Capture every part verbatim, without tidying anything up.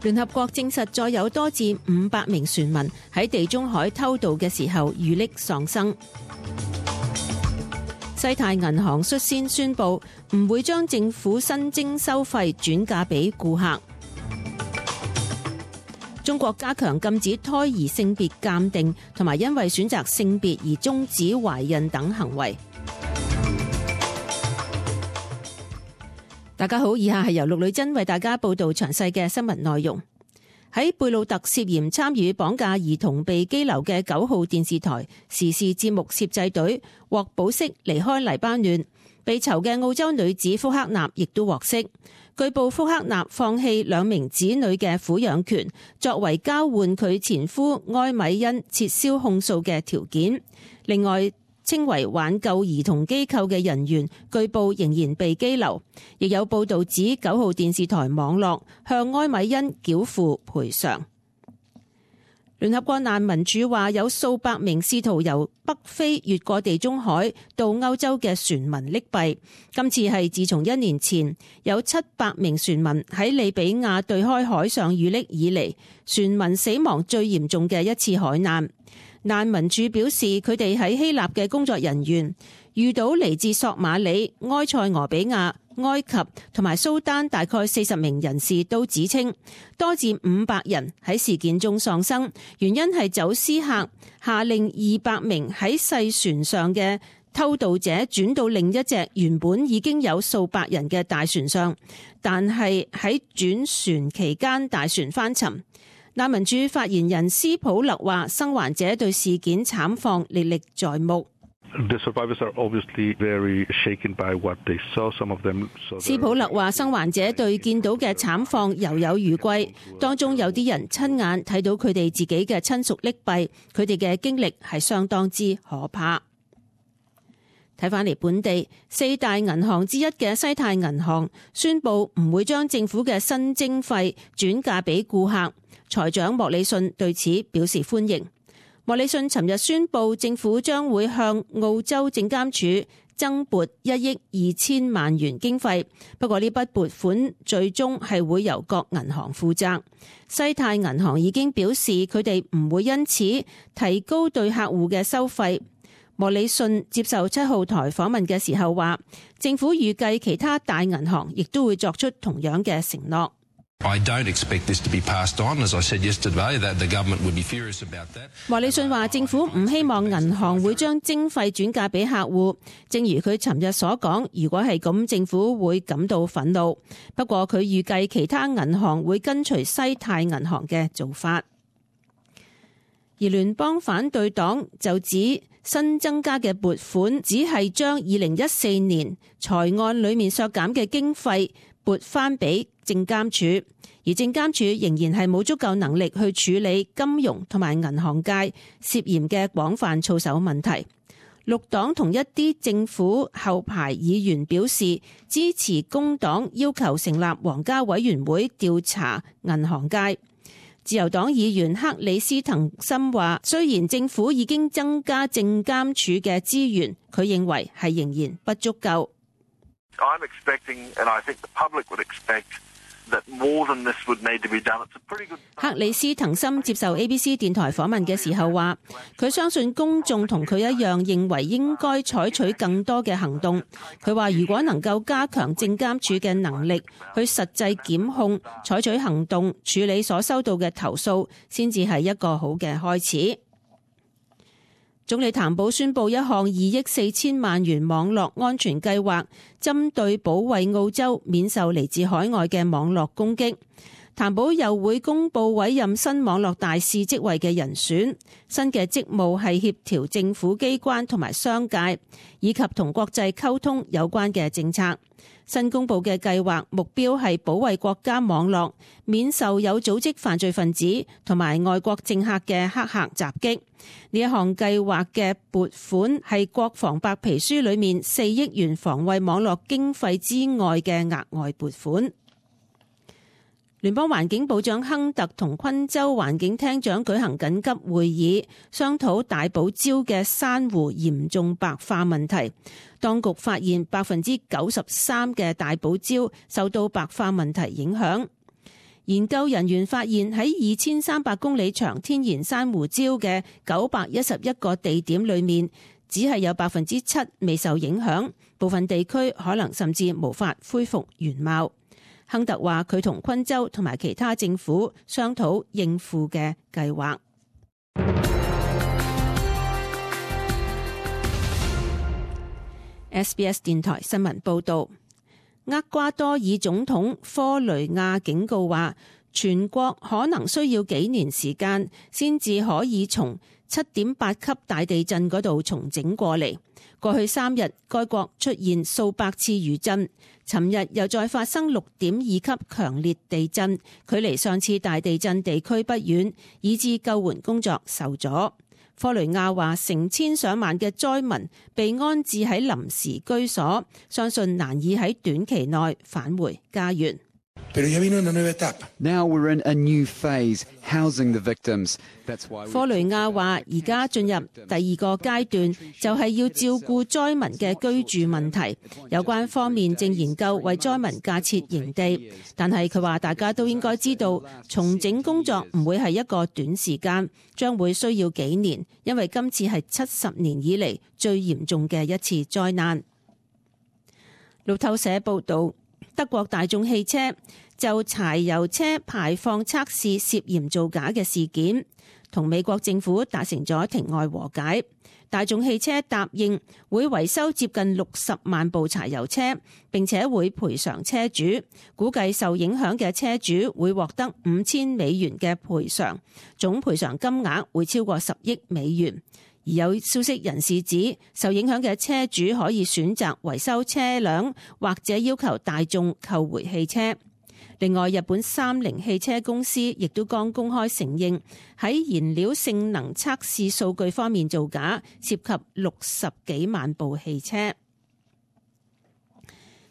聯合國證實再有多至五百名船民喺地中海偷渡嘅時候遇溺喪生。西太銀行率先宣布唔會將政府新徵收費轉嫁俾顧客。中國加強禁止胎兒性別鑑定同埋因為選擇性別而終止懷孕等行為。大家好，以下係由陸女真為大家報道詳細嘅新聞內容。喺貝魯特涉嫌參與綁架兒童被羈留嘅九號電視台時事節目攝製隊獲保釋離開黎巴嫩，被囚嘅澳洲女子福克納亦都獲釋。據報福克納放棄兩名子女嘅撫養權，作為交換佢前夫埃米恩撤銷控訴嘅條件。另外，稱為挽救兒童機構嘅人員據報仍然被羈留，亦有報道指九號電視台網絡向埃米恩繳付賠償。聯合國難民署話有數百名試圖由北非越過地中海到歐洲嘅船民溺斃，今次係自從一年前有七百名船民喺利比亞對開海上遇溺以嚟，船民死亡最嚴重嘅一次海難。難民署表示，佢哋喺希臘嘅工作人員遇到嚟自索馬里、埃塞俄比亞、埃及同埋蘇丹大概四十名人士都指稱，多至五百人喺事件中喪生，原因係走私客下令二百名喺細船上嘅偷渡者轉到另一隻原本已經有數百人嘅大船上，但係喺轉船期間大船翻沉。難民署發言人斯普勒話，生還者對事件慘況歷歷在目。斯普勒話，生還者對見到嘅慘況猶有餘悸，當中有啲人親眼睇到佢哋自己嘅親屬溺斃，佢哋嘅經歷係相當之可怕。睇返嚟本地，四大銀行之一嘅西太銀行宣布唔會將政府嘅新徵費轉嫁俾顧客。財長莫里遜對此表示歡迎。莫里遜尋日宣布，政府將會向澳洲證監署增撥一億二千萬元經費，不過呢筆撥款最終係會由各銀行負責。西太銀行已經表示，佢哋唔會因此提高對客戶嘅收費。莫里遜接受七號台訪問嘅時候話，政府預計其他大銀行亦都會作出同樣嘅承諾。I don't expect this to be passed on. As I said yesterday, that the government would be furious about that. 莫里遜話，政府唔希望銀行會將徵費轉嫁俾客戶。正如佢尋日所講，如果係咁，政府會感到憤怒。不過佢預計其他銀行會跟隨西太銀行嘅做法。而聯邦反對黨就指新增加嘅撥款只係將二零一四年財案裏面削減嘅經費撥翻俾證監署，而證監署仍然係冇足夠能力去處理金融同埋銀行界涉嫌嘅廣泛操守問題。綠黨同一啲政府後排議員表示支持工黨要求成立皇家委員會調查銀行界。自由黨議員克里斯滕森話，雖然政府已經增加證監署嘅資源，佢認為係仍然不足夠。I'm expecting, and I think the public would expect, that more than this would need to be done. It's a pretty good. 克里斯滕森接受 A B C 電台訪問嘅時候話，佢相信公眾同佢一樣認為應該採取更多嘅行動。佢話如果能夠加強證監署嘅能力，去實際檢控、採取行動、處理所收到嘅投訴，先至係一個好嘅開始。總理譚寶宣布一項二億四千萬元網絡安全計劃，針對保衛澳洲免受嚟自海外嘅網絡攻擊。譚寶又會公布委任新網絡大使職位嘅人選，新嘅職務係協調政府機關同埋商界，以及同國際溝通有關嘅政策。新公布嘅計劃目標係保衛國家網絡免受有組織犯罪分子同埋外國政客嘅黑客襲擊。呢一項計劃嘅撥款係國防白皮書裏面四億元防衛網絡經費之外嘅額外撥款。聯邦環境部長亨特同昆州環境廳長舉行緊急會議，商討大堡礁嘅珊瑚嚴重白化問題。當局發現百分之九十三嘅大堡礁受到白化問題影響。研究人員發現喺二千三百公里長天然珊瑚礁嘅九百一十一個地點裏面，只係有百分之七未受影響，部分地區可能甚至無法恢復原貌。亨特話佢同昆州同埋其他政府商討應付嘅計劃。S B S 電台新聞報道，厄瓜多爾總統科雷亞警告話，全國可能需要幾年時間先至可以從七點八級大地震嗰度重整過嚟。過去三日，該國出現數百次餘震，尋日又再發生六點二級強烈地震，距離上次大地震地區不遠，以致救援工作受阻。科雷亞話，成千上萬嘅災民被安置喺臨時居所，相信難以喺短期內返回家園。Now we're in a new phase, housing the victims. That's why 科雷亞話，而家進入第二個階段，就係要照顧災民嘅居住問題。有關方面正研究為災民架設營地，但係佢話大家都應該知道，重整工作唔會係一個短時間，將會需要幾年，因為今次係七十年以嚟最嚴重嘅一次災難。路透社報導，德國大眾汽車就柴油車排放測試涉嫌造假嘅事件，同美國政府達成咗庭外和解。大眾汽車答應會維修接近六十萬部柴油車，並且會賠償車主，估計受影響嘅車主會獲得五千美元嘅賠償，總賠償金額會超過十億美元。而有消息人士指，受影響嘅車主可以選擇維修車輛，或者要求大眾購回汽車。另外，日本三菱汽車公司亦都剛公開承認喺燃料性能測試數據方面造假，涉及六十幾萬部汽車。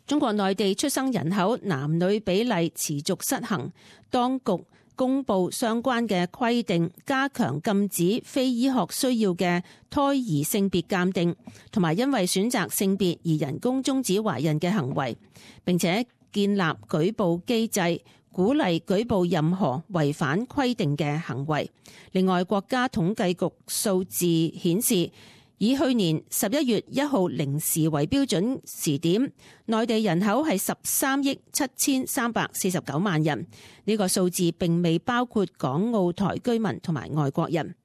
中國內地出生人口男女比例持續失衡，當局公布相關嘅規定，加強禁止非醫學需要嘅胎兒性別鑑定，同埋因為選擇性別而人工終止懷孕嘅行為，並且建立舉報機制，鼓勵舉報任何違反規定嘅行為。另外，國家統計局數字顯示，以去年十一月一號零時為標準時點，內地人口係十三億七千三百四十九萬人。呢個數字並未包括港澳台居民同埋外國人。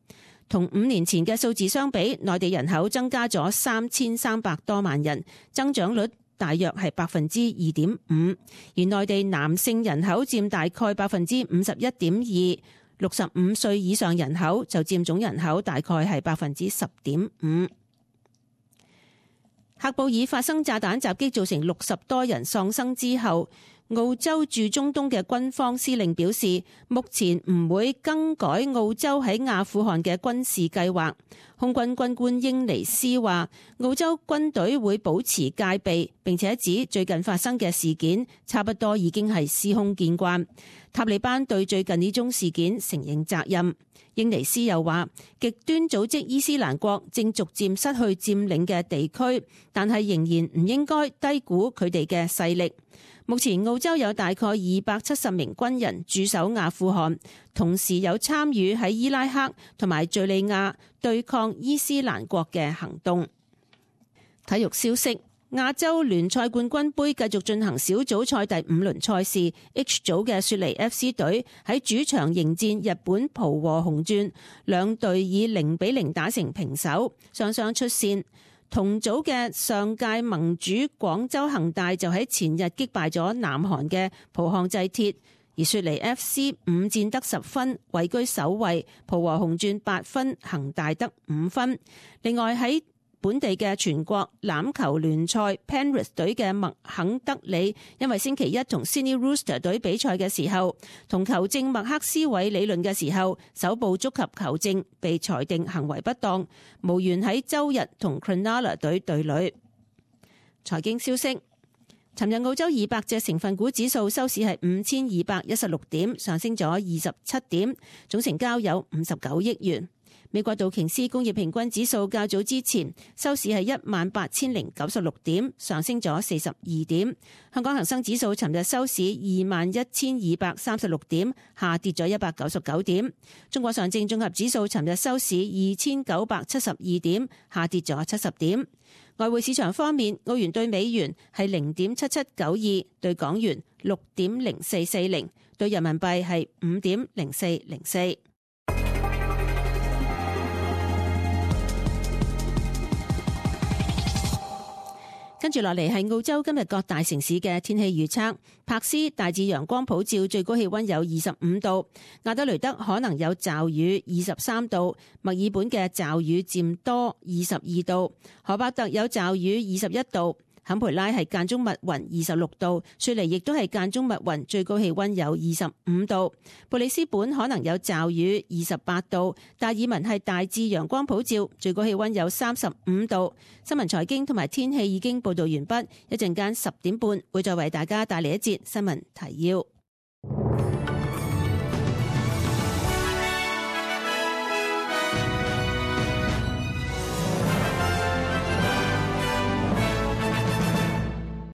同五年前嘅數字相比，內地人口增加咗三千三百多萬人，增長率大約係百分之二點五，而內地男性人口佔大概百分之五十一點二，六十五歲以上人口就佔總人口大概係百分之十點五。喀布爾發生炸彈襲擊，造成六十多人喪生之後，澳洲駐中東嘅軍方司令表示，目前唔會更改澳洲喺阿富汗嘅軍事計劃。空軍軍官英尼斯話，澳洲軍隊會保持戒備，並且指最近發生嘅事件差不多已經係司空見慣。塔利班對最近呢宗事件承認責任。英尼斯又話，極端組織伊斯蘭國正逐漸失去佔領嘅地區，但係仍然唔應該低估佢哋嘅勢力。目前澳洲有大概二百七十名軍人駐守阿富汗，同時有參與喺伊拉克同埋敘利亞對抗伊斯蘭國嘅行動。體育消息，亞洲聯賽冠軍盃繼續進行小組賽第五輪賽事 ，H 組嘅雪梨 F C 隊喺主場迎戰日本浦和紅鑽，兩隊以零比零打成平手，雙雙出線。同組嘅上屆盟主廣州恒大就喺前日擊敗咗南韓嘅浦項製鐵，而雪梨 F C 五戰得十分，位居首位；浦和紅鑽八分，恒大得五分。另外喺本地嘅全國欖球聯賽 Penrith 隊嘅麥肯德里，因為星期一同 Sydney Roosters 隊比賽嘅時候，同球證麥克斯韋理論嘅時候，手部觸及球證，被裁定行為不當，無緣喺周日同 Cronulla 隊對壘。財經消息，尋日澳洲二百隻成分股指數收市係五千二百一十六點，上升咗二十七點，總成交有五十九億元。美國道瓊斯工業平均指數較早之前收市係一萬八千零九十六點，上升咗四十二點。香港恒生指數尋日收市二萬一千二百三十六點，下跌咗一百九十九點。中國上證綜合指數尋日收市二千九百七十二點，下跌咗七十點。外匯市場方面，澳元對美元係零點七七九二，對港元六點零四四零，對人民幣係五點零四零四。跟住落嚟係澳洲今日各大城市嘅天氣預測。柏斯大致陽光普照，最高氣溫有二十五度；亞德雷德可能有驟雨，二十三度；墨爾本嘅驟雨漸多，二十二度；荷伯特有驟雨，二十一度；坎培拉係間中密雲，二十六度；雪梨亦都係間中密雲，最高氣溫有二十五度；布里斯本可能有驟雨，二十八度；達爾文係大致陽光普照，最高氣溫有三十五度。新聞財經同埋天氣已經報道完畢，一陣間十點半會再為大家帶嚟一節新聞提要。